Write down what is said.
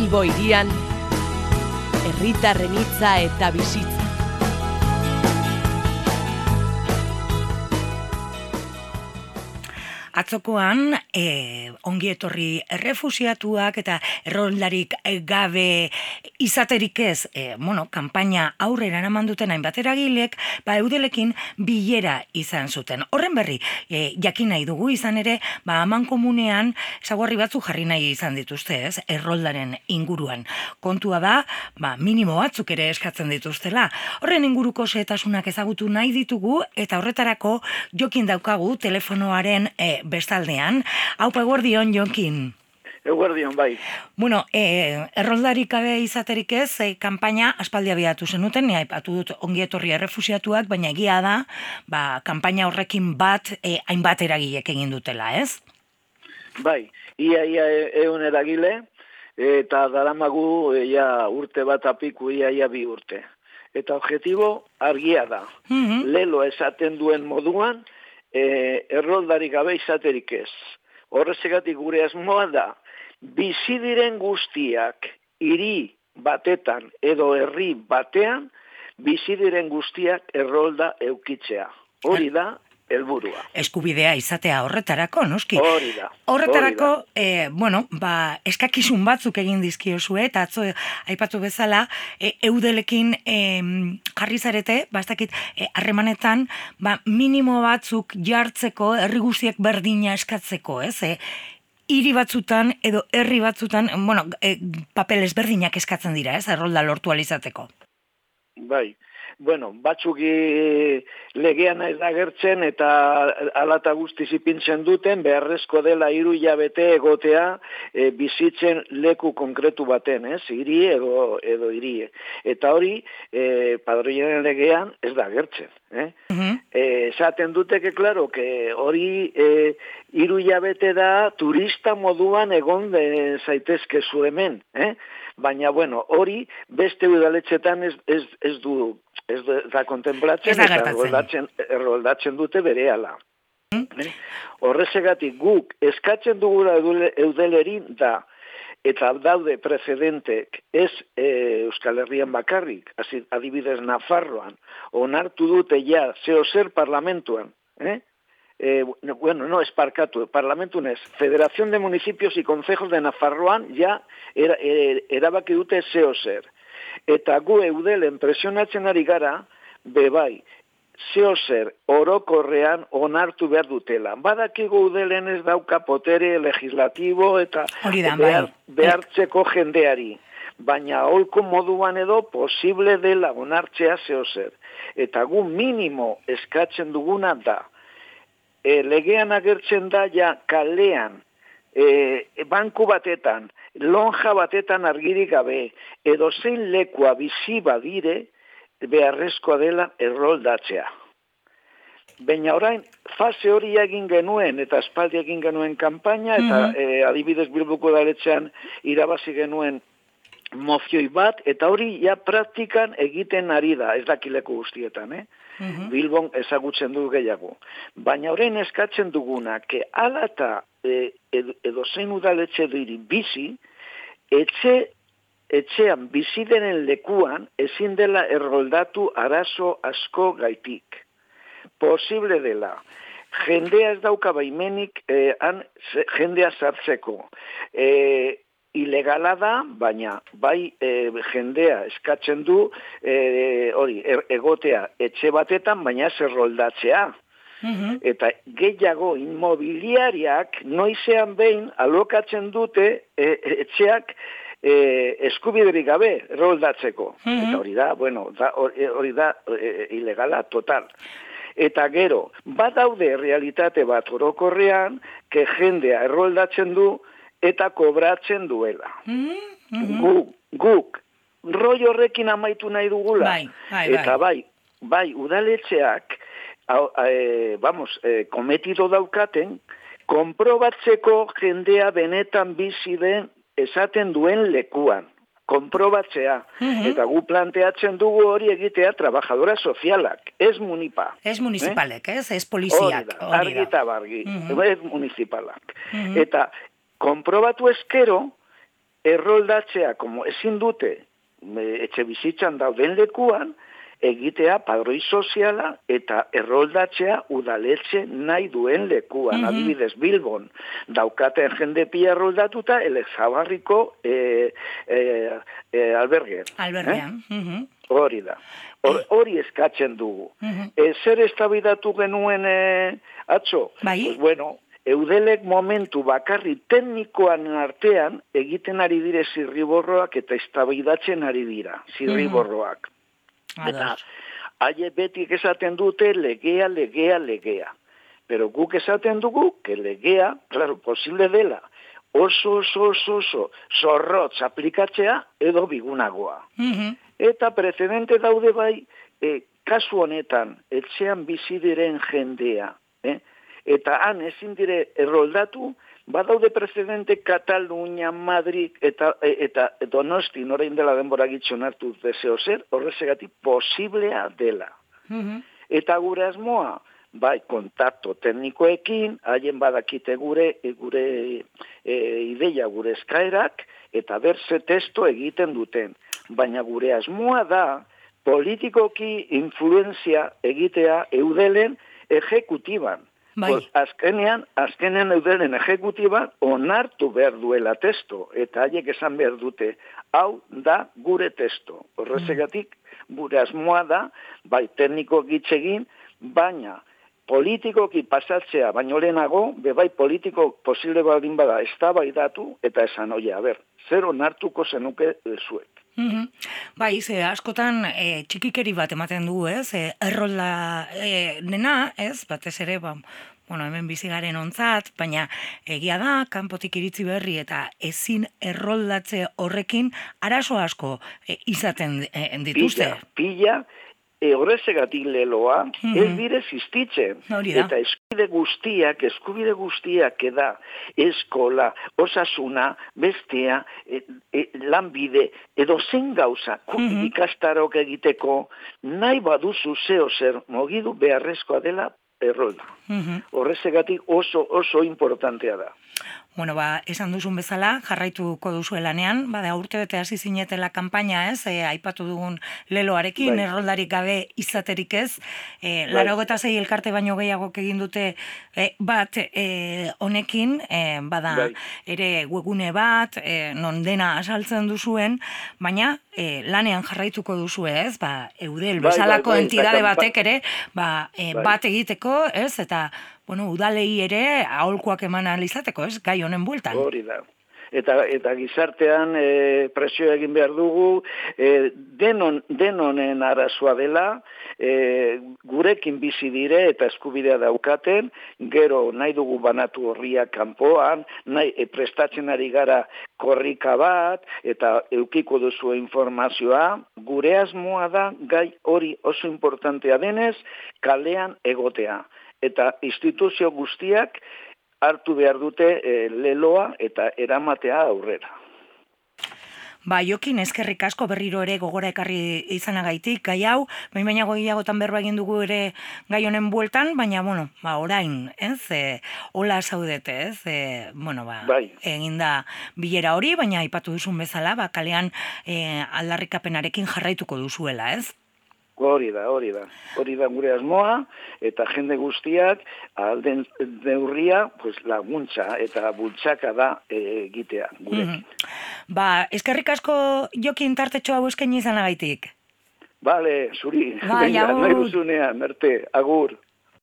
Bilbo hirian, herritarren hitza eta bizitza. Atzokoan, ongi etorri errefusiatuak eta erroldarik gabe izaterik ez, kanpaina aurrera eraman duten hainbat eragilek, eudelekin bilera izan zuten. Horren berri, jakin nahi dugu izan ere, amankomunean ezaugarri batzuk jarri nahi izan dituzte, ez, erroldaren inguruan. Kontua da, minimo batzuk ere eskatzen dituztela. Horren inguruko xehetasunak ezagutu nahi ditugu, eta horretarako Jokin daukagu telefonoaren bestaldean. Haupa, eguerdion, Jokin. Eguerdion, bai. Bueno, erroldarik gabe izaterik ez, kanpaina aspaldi abiatu zenuten, aipatu dut ongi etorri errefusiatuak, baina egia da, kanpaina horrekin hainbat eragilek egin dutela, ez? Bai, ia 100 eragile, eta daramagu urte bat apiku, ia 2 urte. Eta objektibo argia da. Lelo esaten duen moduan, erroldarik gabe izaterik ez. Horrezegatik gure asmoa da, bizi diren guztiak hiri batetan edo herri batean, bizi diren guztiak errolda eukitzea. Hori da helburua. Eskubidea izatea horretarako, noski? Hori da. Horretarako, eskakizun batzuk egin dizkiozue, eta atzo aipatu bezala, eudelekin jarri zarete, bastakit, harremanetan, minimo batzuk jartzeko, herri guztiak berdina eskatzeko, ez? Hiri batzutan edo herri batzutan, papel ezberdinak eskatzen dira, ez? Errolda lortu alizateko. Bai. Batzuk legean ez agertzen eta alata guztiz ipintzen duten, beharrezko dela 3 hilabete egotea bizitzen leku konkretu baten, ez? Hiri edo hirie. Eta hori, padroiaren legean ez da agertzen. Esaten duteke, klaro, hori 3 hilabete da turista moduan egon zaitezke zu hemen, baina, hori beste udaletxetan ez da kontemplatzen eta erroldatzen dute berehala. Horrezegatik guk eskatzen dugula eudelerin da, eta daude precedentek ez Euskal Herrian bakarrik, adibidez Nafarroan, onartu dute ja zer parlamentuan, no, esparkatu, parlamentu nez, Federación de Municipios y Concejos de Nafarroan ja erabaki dute zer. Eta gu eudelen presionatzen ari gara, bebai, zer orokorrean onartu behar dutela. Badakigu eudelen ez dauka potere legislatibo eta behartzeko jendeari. Baina holko moduan edo posible dela onartzea zer. Eta gu minimo eskatzen duguna da. Legean agertzen da ja kalean, banku batetan, lonja batetan argirik gabe, edo zein lekua bizi badire, beharrezkoa dela erroldatzea. Baina orain, fase hori egin genuen, eta aspaldi egin genuen kanpaina, eta adibidez Bilboko udaletxean irabazi genuen mozioi bat, eta hori ja praktikan egiten ari da, ez dakileko guztietan, Bilbon ezagutzen du gehiago. Baina orain eskatzen duguna, ala eta edo zein udaletxe diri bizi, etxean bizi denen lekuan ezin dela erroldatu arazo asko gaitik. Posible dela. Jendea ez dauka baimenik jendea sartzeko. Ilegala da, baina bai jendea eskatzen du egotea etxe batetan, baina ez erroldatzea. Eta gehiago inmobiliariak noizean behin alokatzen dute etxeak eskubiderik gabe erroldatzeko. Eta hori da ilegala total. Eta gero, badaude realitate bat orokorrean, jendea erroldatzen du eta kobratzen duela. Guk, roi horrekin amaitu nahi dugula. Eta bai, udaletxeak, kometido daukaten, konprobatzeko jendea benetan bizi den esaten duen lekuan. Konprobatzea. Eta gu planteatzen dugu hori egitea trabajadora sozialak, ez munipa. Ez municipalek, ez poliziak. Argi eta bargi, ez municipalak. Eta konprobatu ezkero, erroldatzea, como ezin dute etxe bizitzan dauden lekuan, egitea padroi soziala eta erroldatzea udaletxe nahi duen lekuan. Adibidez, Bilbon daukaten jende pila erroldatuta Elezabarriko albergean. Albergean. Hori da. Hori eskatzen dugu. Zer eztabaidatu genuen atzo? Bai. Pues bueno, Eudelek momentu bakarri teknikoan artean egiten ari dire zirriborroak eta eztabaidatzen ari dira zirriborroak. Eta haie betik esaten dute legea. Pero guk esaten dugu, que legea, claro, posible dela, oso zorrotz aplikatzea edo bigunagoa. Eta precedente daude bai, kasu honetan, etxean bizi diren jendea, eta han ezin dire erroldatu, badaude precedente Katalunia, Madrid eta Donosti, norein dela denbora gitxon hartu deseo zer, horrezegatik posiblea dela. Eta gure asmoa, bai, kontakto teknikoekin, haien badakite gure ideia, gure eskaerak, eta berze testo egiten duten. Baina gure asmoa da, politikoki influenzia egitea Eudelen ejekutiban. Bai. Azkenean Eudelen ejekutiba onartu behar duela testo, eta haiek esan behar dute, hau da gure testo. Horrezegatik, gure asmoa da, bai tekniko gitzegin, baina politikoki pasatzea, baino lehenago, bai politiko posible baldin bada, eztabaidatu eta esan, oie, zer onartuko zenuke zuek. Bai, askotan txikikeri bat ematen du, errolda dena, batez ere, hemen bizigaren ontzat, baina egia da, kanpotik iritzi berri eta ezin erroldatze horrekin arazo asko izaten dituzte. Pila, horrezegatik leloa, ez dire existitzen. Eta eskubide guztiak eda, eskola, osasuna, bestea, lanbide, edo zen gauza, ikastarok egiteko, nahi baduzu zeo zer mogidu beharrezkoa dela errolda. Horrezegatik oso importantea da. Bueno, esan duzun bezala, jarraituko duzu lanean, urte bete hasi zinetela kanpaina, aipatu dugun leloarekin, erroldarik gabe izaterik ez, 86 elkarte baino gehiagok egin dute bat honekin, ere webgune bat, non dena asaltzen duzuen, baina lanean jarraituko duzu ez, Eudel bezalako entidade batek ere, bat egiteko, ez, eta udalei ere aholkuak eman alizateko, ez, gai honen bueltan. Hori da. Eta gizartean presio egin behar dugu, denonen arazoa dela, gurekin bizi dire eta eskubidea daukaten, gero nahi dugu banatu horriak kanpoan, prestatzen ari gara korrika bat, eta eukiko duzu informazioa, gure asmoa da gai hori oso importantea denez, kalean egotea. Eta instituzio guztiak hartu behar dute leloa eta eramatea aurrera. Jokin, eskerrik asko berriro ere gogora ekarri izanagaitik, gai hau, baina gehiagotan berba egin dugu ere gai honen bueltan, baina, orain, hola zaudete, egin da bilera hori, baina aipatu duzun bezala, kalean aldarrikapenarekin jarraituko duzuela, ez? Hori da gure asmoa, eta jende guztiak alden neurria laguntza eta bultzaka da egitea gurekin. Eskerrik asko Jokin tartetxo hau eskaini izanagaitik. Bale, zuri, nahi duzunean, merte, agur.